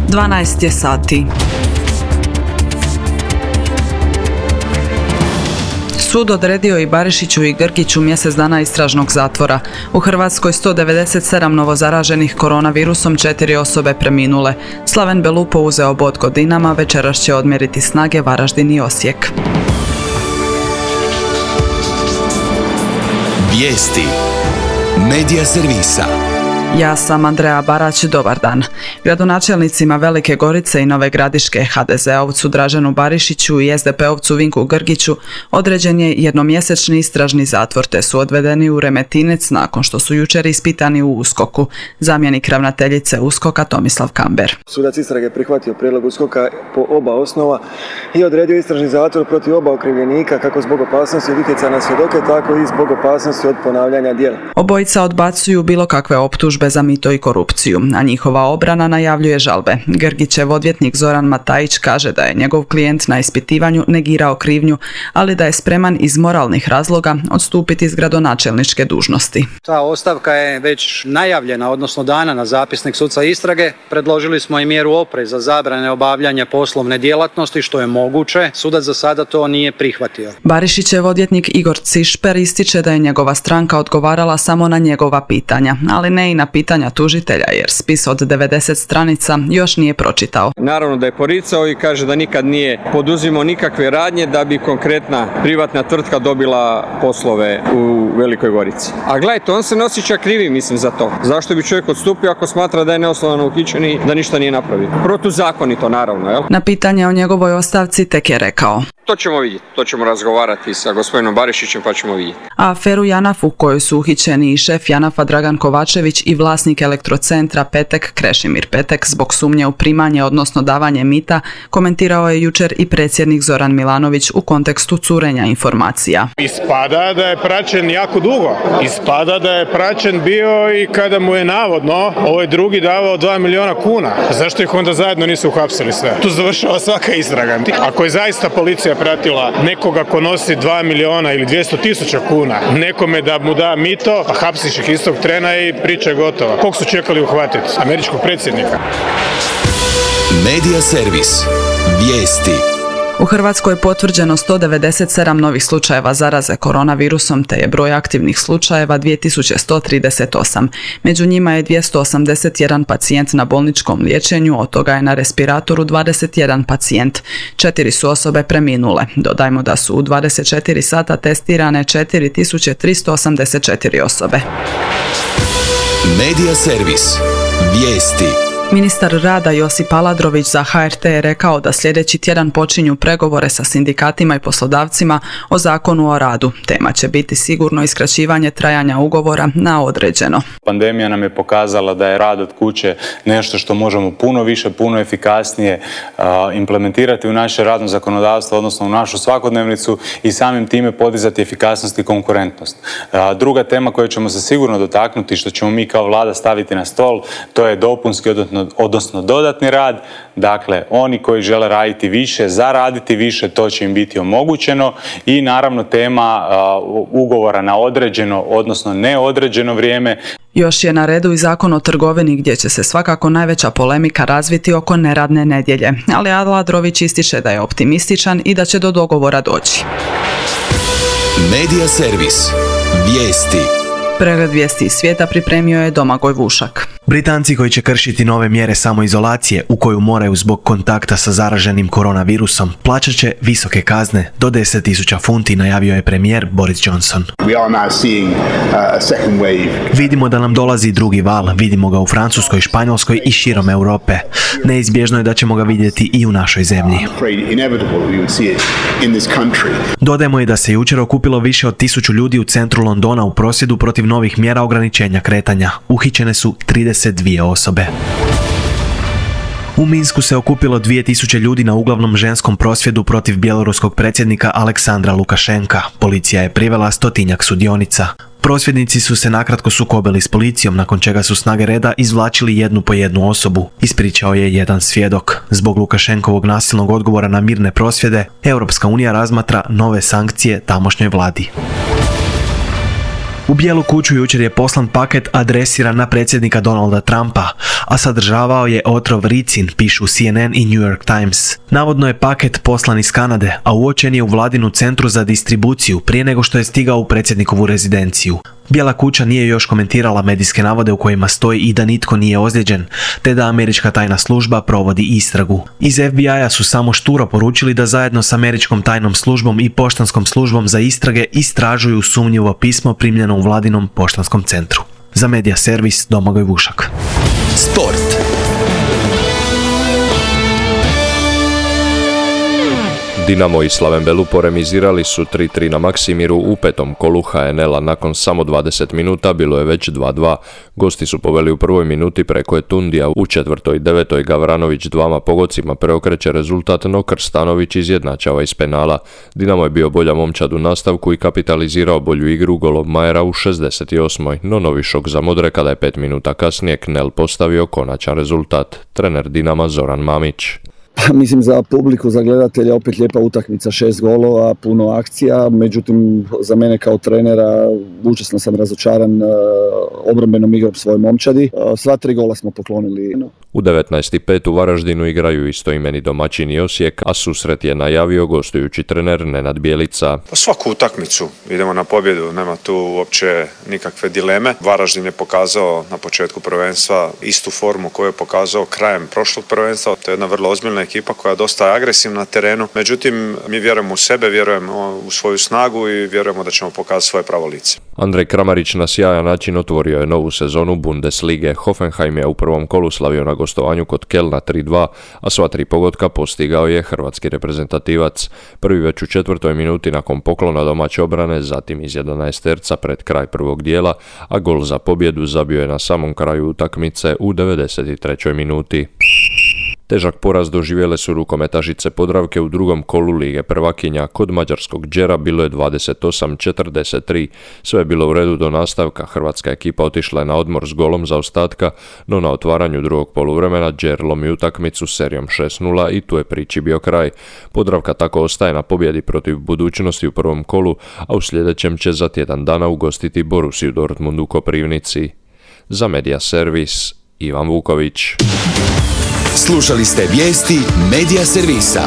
12 je sati. Sud odredio i Barišiću i Grgiću mjesec dana istražnog zatvora. U Hrvatskoj 197 novozaraženih koronavirusom, 4 osobe preminule. Slaven Belupo uzeo bod godinama, večeras će odmjeriti snage Varaždin i Osijek. Vijesti Medija servisa. Ja sam Andreja Barać, dobar dan. Gradonačelnicima Velike Gorice i Nove Gradiške, HDZ-ovcu Draženu Barišiću i SDP-ovcu Vinku Grgiću određen je jednomjesečni istražni zatvor, te su odvedeni u Remetinec nakon što su jučer ispitani u USKOK-u. Zamjenik ravnateljice USKOK-a Tomislav Kamber. Sudac istrage prihvatio prijedlog USKOK-a po oba osnova i odredio istražni zatvor protiv oba okrivljenika kako zbog opasnosti od utjecaja na svjedoke, tako i zbog opasnosti od ponavljanja djela. Obojica odbacuju bilo kakve optužbe za mito i korupciju, a njihova obrana najavljuje žalbe. Grgićev odvjetnik Zoran Matajić kaže da je njegov klijent na ispitivanju negirao krivnju, ali da je spreman iz moralnih razloga odstupiti iz gradonačelničke dužnosti. Ta ostavka je već najavljena, odnosno dana na zapisnik suca istrage. Predložili smo i mjeru opreza zabrane obavljanja poslovne djelatnosti, što je moguće. Sudac za sada to nije prihvatio. Barišićev odvjetnik Igor Cišper ističe da je njegova stranka odgovarala samo na njegova pitanja, ali ne i na pitanja tužitelja, jer spis od 90 stranica još nije pročitao. Naravno da je poricao i kaže da nikad nije poduzimao nikakve radnje da bi konkretna privatna tvrtka dobila poslove u Velikoj Gorici. A gledajte, on se ne osjeća krivi, mislim, za to. Zašto bi čovjek odstupio ako smatra da je neosnovano uhićen i da ništa nije napravio? Protuzakonito, naravno, jel? Na pitanje o njegovoj ostavci tek je rekao: to ćemo vidjeti, to ćemo razgovarati sa gospodinom Barišićem pa ćemo vidjeti. A aferu JANAF u kojoj su uhićeni i šef JANAF-a Dragan Kovačević i vlasnik elektrocentra Petek Krešimir Petek zbog sumnje u primanje, odnosno davanje mita, komentirao je jučer i predsjednik Zoran Milanović u kontekstu curenja informacija. Ispada da je praćen jako dugo. Ispada da je praćen bio i kada mu je navodno ovaj drugi davao 2 milijuna kuna. Zašto ih onda zajedno nisu uhapsili sve? Tu završava svaka istraga. Ako je zaista policija pratila nekoga ko nosi 2 milijuna ili 200.000 kuna, nekome da mu da mito, a hapsiš ih istog trena i priča je gotova. Kog su čekali uhvatiti? Američkog predsjednika. Medija servis. Vijesti. U Hrvatskoj je potvrđeno 197 novih slučajeva zaraze koronavirusom, te je broj aktivnih slučajeva 2138. Među njima je 281 pacijent na bolničkom liječenju, od toga je na respiratoru 21 pacijent. 4 su osobe preminule. Dodajmo da su u 24 sata testirane 4384 osobe. Medija servis. Vijesti. Ministar rada Josip Aladrović za HRT je rekao da sljedeći tjedan počinju pregovore sa sindikatima i poslodavcima o Zakonu o radu. Tema će biti sigurno iskraćivanje trajanja ugovora na određeno. Pandemija nam je pokazala da je rad od kuće nešto što možemo puno više, puno efikasnije implementirati u naše radno zakonodavstvo, odnosno u našu svakodnevnicu i samim time podizati efikasnost i konkurentnost. Druga tema koju ćemo se sigurno dotaknuti, što ćemo mi kao vlada staviti na stol, to je dopunski, odnosno dodatni rad. Dakle, oni koji žele raditi više, zaraditi više, to će im biti omogućeno i naravno tema ugovora na određeno, odnosno neodređeno vrijeme. Još je na redu i Zakon o trgovini, gdje će se svakako najveća polemika razviti oko neradne nedjelje, ali Aladrović ističe da je optimističan i da će do dogovora doći. Medija servis. Vijesti. Pregled vijesti iz svijeta pripremio je Domagoj Vušak. Britanci koji će kršiti nove mjere samoizolacije u koju moraju zbog kontakta sa zaraženim koronavirusom plaćat će visoke kazne do 10.000 funti, najavio je premijer Boris Johnson. Vidimo da nam dolazi drugi val, vidimo ga u Francuskoj, Španjolskoj i širom Europe. Neizbježno je da ćemo ga vidjeti i u našoj zemlji. Dodajmo i da se jučer okupilo više od 1000 ljudi u centru Londona u prosvjedu protiv novih mjera ograničenja kretanja. Uhićene su 32 osobe. U Minsku se okupilo 2000 ljudi na uglavnom ženskom prosvjedu protiv bjeloruskog predsjednika Aleksandra Lukašenka. Policija je privela 100-tinjak sudionica. Prosvjednici su se nakratko sukobili s policijom, nakon čega su snage reda izvlačili jednu po jednu osobu, ispričao je jedan svjedok. Zbog Lukašenkovog nasilnog odgovora na mirne prosvjede, Europska unija razmatra nove sankcije tamošnjoj vladi. U Bijelu kuću jučer je poslan paket adresiran na predsjednika Donalda Trumpa, a sadržavao je otrov ricin, pišu CNN i New York Times. Navodno je paket poslan iz Kanade, a uočen je u vladinu centru za distribuciju prije nego što je stigao u predsjednikovu rezidenciju. Bijela kuća nije još komentirala medijske navode u kojima stoji i da nitko nije ozlijeđen, te da američka tajna služba provodi istragu. Iz FBI-a su samo šturo poručili da zajedno s američkom tajnom službom i poštanskom službom za istrage istražuju sumnjivo pismo primljeno u vladinom poštanskom centru. Za Medija servis Domagoj Vušak. Sport. Dinamo i Slaven Belu poremizirali su 3-3 na Maksimiru u petom kolu HNL-a. Nakon samo 20 minuta bilo je već 2-2. Gosti su poveli u prvoj minuti preko Etundija, u četvrtoj i devetoj Gavranović dvama pogodcima preokreće rezultat, no Krstanović izjednačava iz penala. Dinamo je bio bolja momčad u nastavku i kapitalizirao bolju igru golom Majera u 68. No novi šok za Modre kada je 5 minuta kasnije Knel postavio konačan rezultat. Trener Dinama Zoran Mamić. Mislim za publiku, za gledatelja opet lijepa utakmica, 6 golova, puno akcija, međutim za mene kao trenera užasno sam razočaran obrambenom igrom svoje momčadi. Sva 3 gola smo poklonili. U 19.5 u Varaždinu igraju istoimeni domaćini Osijek, a susret je najavio gostujući trener Nenad Bjelica. Svaku utakmicu idemo na pobjedu, nema tu uopće nikakve dileme. Varaždin je pokazao na početku prvenstva istu formu koju je pokazao krajem prošlog prvenstva. To je jedna vrlo ozbiljna ekipa koja je dosta agresivna na terenu. Međutim, mi vjerujemo u sebe, vjerujemo u svoju snagu i vjerujemo da ćemo pokazati svoje pravo lice. Andrej Kramarić na sjajan način otvorio je novu sezonu Bundeslige. Hoffenheim je u prvom kolu slavio na gostovanju kod Kelna 3-2, a sva 3 pogotka postigao je hrvatski reprezentativac. Prvi već u 4. minuti nakon poklona domaće obrane, zatim iz 11 terca pred kraj prvog dijela, a gol za pobjedu zabio je na samom kraju utakmice u 93. minuti. Težak poraz doživjele su rukometašice Podravke u drugom kolu Lige prvakinja. Kod mađarskog Đera bilo je 28-43. Sve je bilo u redu do nastavka. Hrvatska ekipa otišla je na odmor s golom zaostatka, no na otvaranju drugog poluvremena Đer lomi utakmicu serijom 6-0 i tu je priči bio kraj. Podravka tako ostaje na pobjedi protiv Budućnosti u prvom kolu, a u sljedećem će za tjedan dana ugostiti Borussiju Dortmund u Koprivnici. Za Medija servis Ivan Vuković. Slušali ste vijesti Medija servisa.